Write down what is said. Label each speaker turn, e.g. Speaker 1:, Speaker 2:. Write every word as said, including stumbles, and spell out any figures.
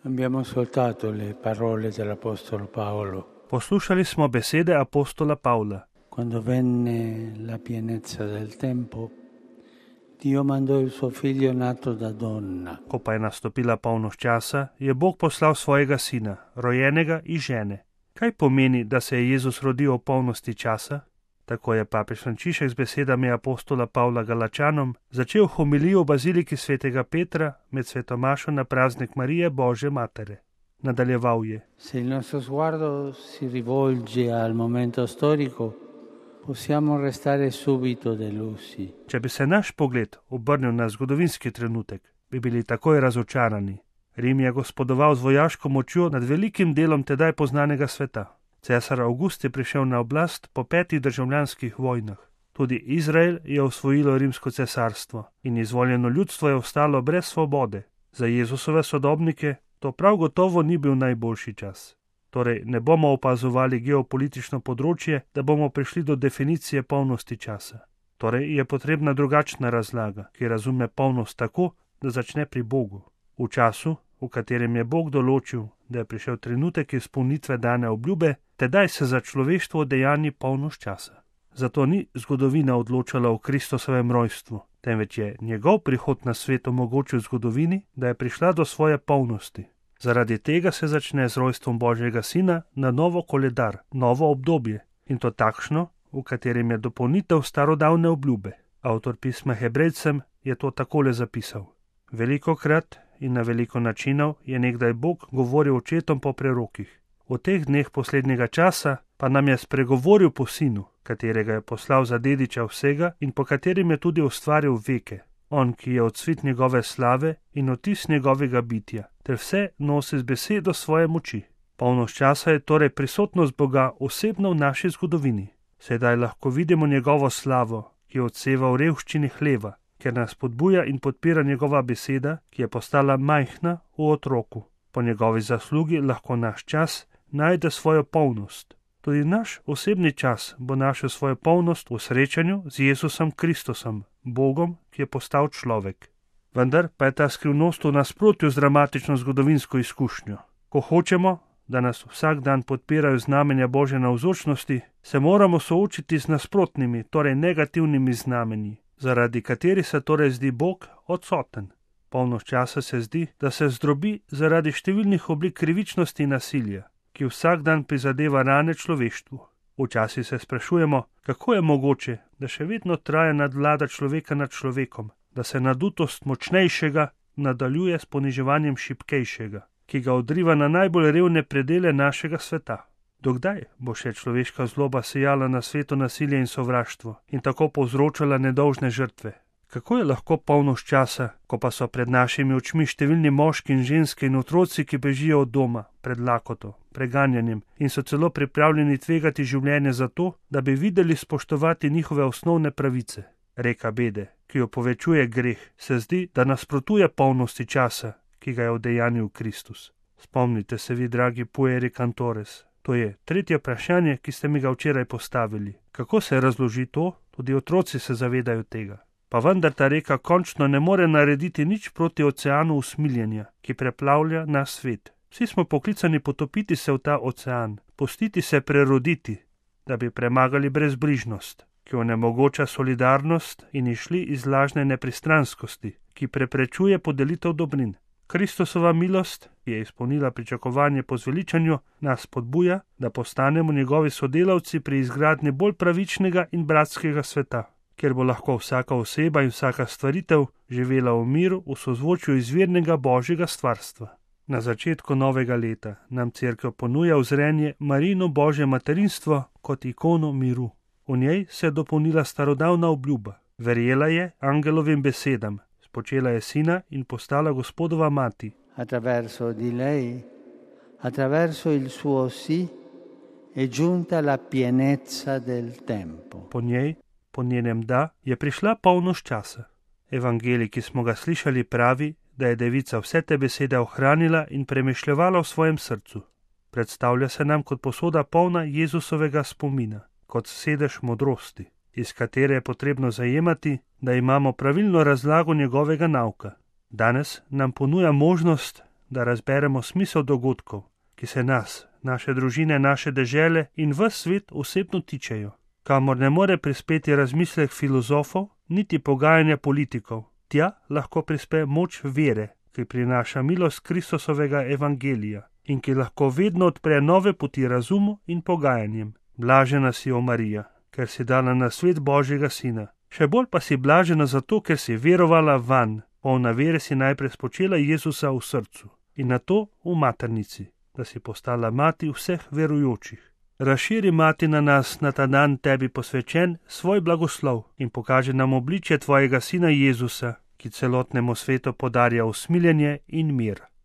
Speaker 1: Abbiamo ascoltato le parole dell'Apostolo Paolo.
Speaker 2: Poslušali smo besede apostola Pavla.
Speaker 1: Quando venne la pienezza del tempo, Dio mandò il suo figlio nato da donna.
Speaker 2: Ko pa je nastopila polnost časa, je Bog poslal svojega sina, rojenega iz žene. Kaj pomeni, da se je Jezus rodil v polnosti časa? Tako je papež Frančišek z besedami apostola Pavla Galačanom začel homilijo v baziliki svetega Petra med svetomašo na praznik Marije Božje Matere. Nadaljeval je:
Speaker 1: Se il nostro sguardo si rivolge al momento storico, possiamo restare subito delusi.
Speaker 2: Če bi se naš pogled obrnil na zgodovinski trenutek, bi bili takoj razočarani. Rim je gospodoval z vojaško močjo nad velikim delom tedaj poznanega sveta. Cesar Avgust je prišel na oblast po petih državljanskih vojnah. Tudi Izrael je osvojilo rimsko cesarstvo in izvoljeno ljudstvo je ostalo brez svobode. Za Jezusove sodobnike to prav gotovo ni bil najboljši čas. Torej ne bomo opazovali geopolitično področje, da bomo prišli do definicije polnosti časa. Torej je potrebna drugačna razlaga, ki razume polnost tako, da začne pri Bogu. V času, v katerem je Bog določil, da je prišel trenutek izpolnitve dane obljube, tedaj se za človeštvo dejanji polnost časa. Zato ni zgodovina odločala o Kristusovem rojstvu, temveč je njegov prihod na svet omogočil zgodovini, da je prišla do svoje polnosti. Zaradi tega se začne z rojstvom Božjega sina na novo koledar, novo obdobje, in to takšno, v katerem je dopolnitev starodavne obljube. Avtor pisma Hebrejcem je to takole zapisal: Velikokrat in na veliko načinov je nekdaj Bog govoril očetom po prerokih. V teh dneh poslednjega časa pa nam je spregovoril po sinu, katerega je poslal za dediča vsega in po katerem je tudi ustvaril veke. On, ki je odsvit njegove slave in otis njegovega bitja, ter vse nosi z besedo svoje moči. Polnost časa je torej prisotnost Boga osebno v naši zgodovini. Sedaj lahko vidimo njegovo slavo, ki odseva v revščini hleva, ker nas podbuja in podpira njegova beseda, ki je postala majhna v otroku. Po njegovi zaslugi lahko naš čas najde svojo polnost. Tudi naš osebni čas bo našel svojo polnost v srečanju z Jezusom Kristusom, Bogom, ki je postal človek. Vendar pa je ta skrivnost v nasprotju z dramatično zgodovinsko izkušnjo. Ko hočemo, da nas vsak dan podpirajo znamenja Božje navzočnosti, se moramo soočiti z nasprotnimi, torej negativnimi znamenji, zaradi katerih se torej zdi Bog odsoten. Polnost časa se zdi, da se zdrobi zaradi številnih oblik krivičnosti in nasilja, ki vsak dan prizadeva rane človeštvu. Včasih se sprašujemo, kako je mogoče, da še vedno traja nadvlada človeka nad človekom, da se nadutost močnejšega nadaljuje s poniževanjem šibkejšega, ki ga odriva na najbolj revne predele našega sveta. Dokdaj bo še človeška zloba sejala na svetu nasilje in sovraštvo in tako povzročala nedolžne žrtve? Kako je lahko polnost časa, ko pa so pred našimi očmi številni moški in ženske in otroci, ki bežijo od doma, pred lakoto, preganjanjem in so celo pripravljeni tvegati življenje za to, da bi videli spoštovati njihove osnovne pravice? Reka bede, ki jo povečuje greh, se zdi, da nasprotuje polnosti časa, ki ga je udejanil Kristus. Spomnite se vi, dragi pueri cantores. To je tretje vprašanje, ki ste mi ga včeraj postavili. Kako se razloži to? Tudi otroci se zavedajo tega. Pa vendar ta reka končno ne more narediti nič proti oceanu usmiljenja, ki preplavlja naš svet. Vsi smo poklicani potopiti se v ta ocean, pustiti se preroditi, da bi premagali brezbrižnost, ki onemogoča solidarnost in išli iz lažne nepristranskosti, ki preprečuje podelitev dobrin. Kristusova milost, ki je izpolnila pričakovanje po zveličanju, nas podbuja, da postanemo njegovi sodelavci pri izgradnji bolj pravičnega in bratskega sveta, kjer bo lahko vsaka oseba in vsaka stvaritev živela v miru v sozvočju izvirnega Božjega stvarstva. Na začetku novega leta nam Cerkev ponuja vzrenje Marijino Božje materinstvo kot ikono miru. V njej se je dopolnila starodavna obljuba. Verjela je angelovim besedam, spočela je sina in postala Gospodova mati.
Speaker 1: Attraverso di lei, attraverso il suo sì, è giunta la pienezza del tempo.
Speaker 2: Po njej, po njenem da, je prišla polnost časa. Evangelij, ki smo ga slišali, pravi, da je devica vse te besede ohranila in premišljevala v svojem srcu. Predstavlja se nam kot posoda polna Jezusovega spomina, kot sedež modrosti, iz katere je potrebno zajemati, da imamo pravilno razlago njegovega nauka. Danes nam ponuja možnost, da razberemo smisel dogodkov, ki se nas, naše družine, naše dežele in ves svet osebno tičejo, kamor ne more prispeti razmislek filozofov, niti pogajanja politikov. Tja lahko prispe moč vere, ki prinaša milost Kristusovega evangelija in ki lahko vedno odpre nove poti razumu in pogajanjem. Blažena si, o Marija, ker si dala na svet Božjega sina. Še bolj pa si blažena zato, ker si verovala vanj. Polna vere si najprej spočela Jezusa v srcu in nato v maternici, da si postala mati vseh verujočih. Razširi, Mati, na nas na ta dan tebi posvečen svoj blagoslov in pokaže nam obličje tvojega sina Jezusa, ki celotnemu svetu podarja usmiljenje in mir.